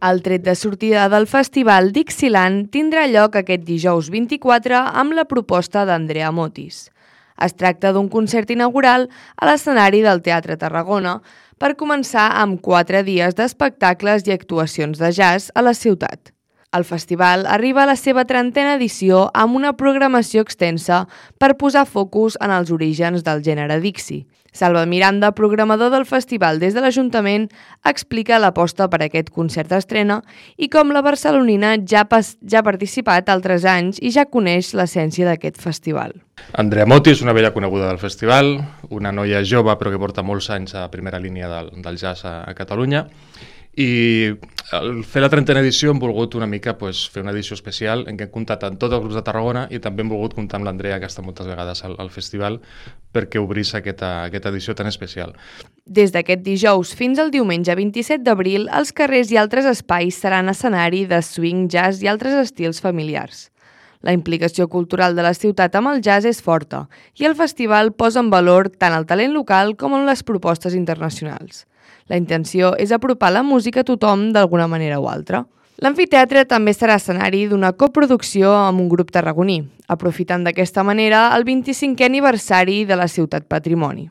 El tret de sortida del festival Dixieland tindrà lloc aquest dijous 24 amb la proposta d'Andrea Motis. Es tracta d'un concert inaugural a l'escenari del Teatre Tarragona per començar amb 4 dies d'espectacles i actuacions de jazz a la ciutat. El festival arriba a la seva 30a edició amb una programació extensa per posar focus en els orígens del gènere Dixie. Salva Miranda, programador del festival des de l'Ajuntament, explica l'aposta per aquest concert d'estrena i com la barcelonina ja ha participat altres anys i ja coneix l'essència d'aquest festival. Andrea Motis, una vella coneguda del festival, una noia jove però que porta molts anys a primera línia del jazz a Catalunya, i al fer la 30a edició hem volgut una mica fer una edició especial en què hem comptat amb tots els grups de Tarragona i també hem volgut comptar amb l'Andrea, que està moltes vegades al festival, perquè obrís aquesta edició tan especial. Des d'aquest dijous fins al diumenge 27 d'abril, els carrers i altres espais seran escenari de swing, jazz i altres estils familiars. La implicació cultural de la ciutat amb el jazz és forta i el festival posa en valor tant el talent local com en les propostes internacionals. La intenció és apropar la música a tothom d'alguna manera o altra. L'amfiteatre també serà escenari d'una coproducció amb un grup tarragoní, aprofitant d'aquesta manera el 25è aniversari de la Ciutat Patrimoni.